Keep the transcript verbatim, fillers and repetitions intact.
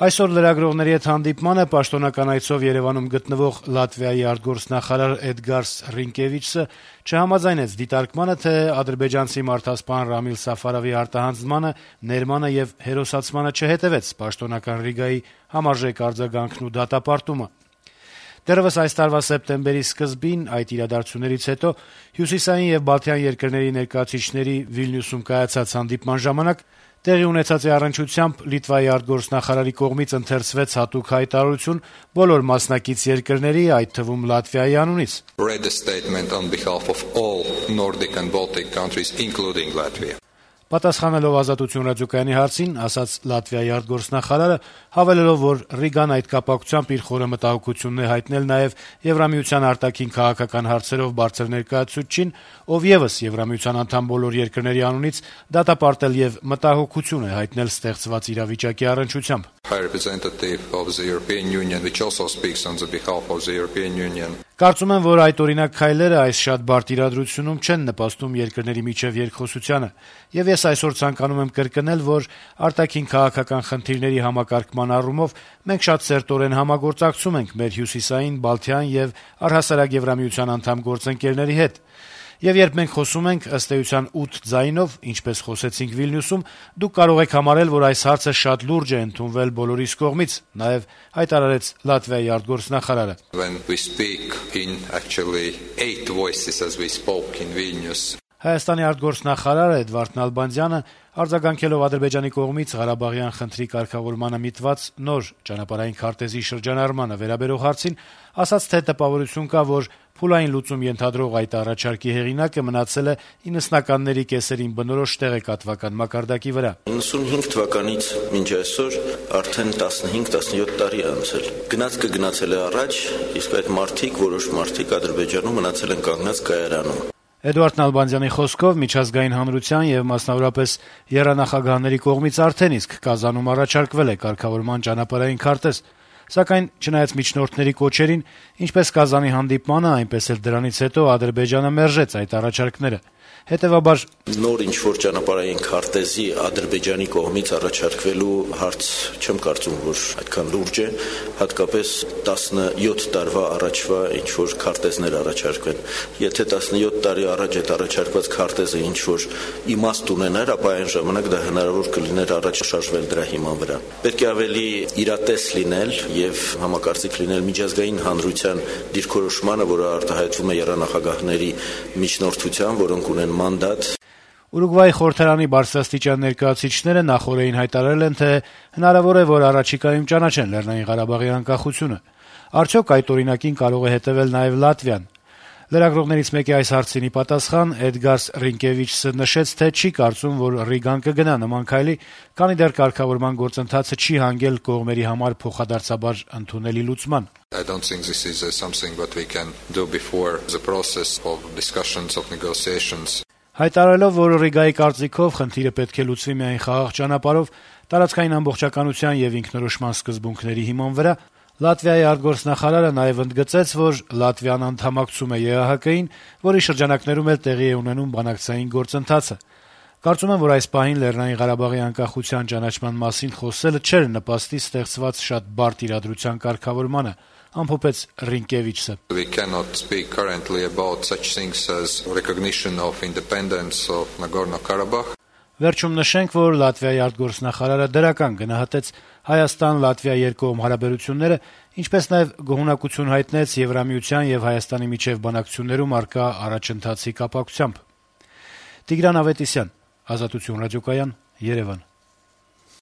Այսօր լրագրողների հետ հանդիպմանը պաշտոնական այցով Երեւանում գտնվող Լատվիայի արտգործնախարար Էդգարս Ռինկեվիչսը չհամաձայնեց դիտարկմանը, թե ադրբեջանցի մարդասպան Ռամիլ Սաֆարովի արտահանձնմանը, ներմանը եւ հերոսացմանը չհետեւեց պաշտոնական Ռիգայի համարժեք արձագանքն ու դատապարտումը։ Դեռևս այս տարվա սեպտեմբերի սկզբին այդ իրադարձություններից հետո հյուսիսային եւ բալթյան երկրների ներկայացուցիչների Վիլնյուսում կայացած հանդիպման ժամանակ տեղի ունեցած առնչությամբ Լիտվայի արտգործնախարարի կողմից ընթերցվեց հատուկ հայտարարություն բոլոր մասնակից երկրների, այդ թվում Լատվիայի անունից։ Read a statement on behalf of all Nordic and Baltic countries, including Latvia. Պատասխանելով Ազատություն ռադիոկայանի հարցին, ասաց Լատվիայի արտգործնախարարը, հավելելով, որ Ռիգան այդ կապակցությամբ իր խորը մտահոգությունն է հայտնել նաև Եվրամիության արտաքին քաղաքական հարցերով բարձր ներկայացուցչին, ով եւս Եվրամիության անդամ բոլոր երկրների անունից դատապարտել եւ մտահոգություն է հայտնել ստեղծված իրավիճակի առնչությամբ։ High representative of the European Union, which also speaks on the behalf of the European Union. Կարծում եմ, որ այդ օրինակ քայլերը այս շատ բարդ իրադրությունում չեն նպաստում երկրների միջև երկխոսությանը, եւ ես այսօր ցանկանում եմ կրկնել, որ արտաքին քաղաքական խնդիրների համակարգման առումով մենք շատ սերտորեն համագործակցում ենք մեր հյուսիսային, բալթյան եւ առհասարակ Եվրամիության անդամ գործընկերների հետ։ Եվ երբ մենք խոսում ենք ըստ էության ութ ձայնով, ինչպես խոսեցինք Վիլնյուսում, դուք կարող եք համարել, որ այս հարցը շատ լուրջ է ընդունվել բոլորիս կողմից, նաեւ հայտարարեց Լատվիայի արտգործնախարարը։ When we speak in actually eight voices as we spoke in Vilnius. Հայաստանի արտգործնախարար Էդվարդ Նալբանդյանը արձագանքելով Ադրբեջանի կողմից Ղարաբաղյան խնդրի կարգավորմանը միտված նոր ճանապարհային քարտեզի շրջանառմանը վերաբերող հարցին ասաց, թե տպավորություն կա, որ փուլային լուծում ենթադրող այդ առաջարկի հեղինակը մնացել է իննսնականների կեսերին բնորոշ տեղեկատվական մակարդակի վրա։ իննսունհինգ թվականից մինչ այսօր արդեն տասնհինգ տասնյոթ տարի անցել։ Գնացքը գնացել է առաջ, իսկ այդ մարդիկ, որոշ մարդիկ Ադրբեջանում մնացել են կանգնած կայարանում։ Էդվարդ Նալբանդյանի խոսքով միջազգային հանրության եւ մասնավորապես եռանախագահների կողմից արդեն իսկ Կազանում առաջարկվել է կարգավորման ճանապարհային քարտեզ, սակայն չնայած միջնորդների կոչերին, ինչպես Կազանի հանդիպմանը, այնպես էլ դրանից հետո Ադրբեջանը մերժեց այդ առաջարկները։ Հետևաբար նոր ինչ-որ ճանապարհային քարտեզի Ադրբեջանի կողմից առաջարկվելու հարց չեմ կարծում, որ այդքան լուրջ է, հատկապես տասնյոթ տարվա առաջվա ինչ-որ քարտեզներ առաջարկվեն։ Եթե տասնյոթ տարի առաջ այդ առաջարկված քարտեզը ինչ-որ իմաստ ունենար, ապա այն ժամանակ դա հնարավոր կլիներ առաջ շարժվել դրա հիման վրա։ Պետք է ավելի իրատես լինել եւ համակարծիք լինել միջազգային հանրության դիրքորոշմանը, որը արտահայտվում է եռանախագահների միջնորդությամբ, որոնք ունեն մանդատ։ Ուրուգվայի խորհրդարանի բարձրաստիճան ներկայացուցիչները նախօրեին հայտարարել են, թե հնարավոր է, որ առաջիկայում ճանաչեն Լեռնային Ղարաբաղի անկախությունը։ Արդյոք այդ օրինակին կարող է հետեւել նաեւ Լատվիան։ Լրագրողներից մեկի այս հարցինի պատասխան Էդգարս Ռինկեվիչսը նշեց, թե չի կարծում, որ Ռիգան կգնա նման քայլի, քանի դեռ կարգավորման գործընթացը չի հանգել կողմերի համար փոխադարձաբար ընդունելի լուծման։ I don't think this is uh, something that we can do before the process of discussions of negotiations. Հայտարարելով, որ Ռիգայի կարծիքով խնդիրը պետք է լուծվի միայն խաղաղ ճանապարհով, տարածքային ամբողջականության եւ ինքնորոշման սկզբունքների հիման վրա, Լատվիայի արտգործնախարարը նաեւ ընդգծեց, որ Լատվիան անդամակցում է Է Ա Հ Կ-ին, որի շրջանակներում էլ տեղի է ունենում բանակցային գործընթացը։ Կարծում եմ, որ այս պահին Լեռնային Ղարաբաղի անկախության ճանաչման մասին խոսելը չէր նպաստի ստեղծված շատ բարդ իրադրության կարգավորմանը, ամփոփեց Ռինկեվիչսը։ We cannot speak currently about such things as recognition of independence of Nagorno-Karabakh. Վերջում նշենք, որ Լատվիայի արտգործնախարարը դրական գնահատեց Հայաստան-Լատվիա երկկողմ հարաբերությունները, ինչպես նաև գոհունակություն հայտնեց Եվրամիության եւ Հայաստանի միջև բանակցություններում առկա առաջընթացի կապակցությամբ։ Տիգրան Ավետիսյան, Ազատություն ռադիոկայան, Երևան։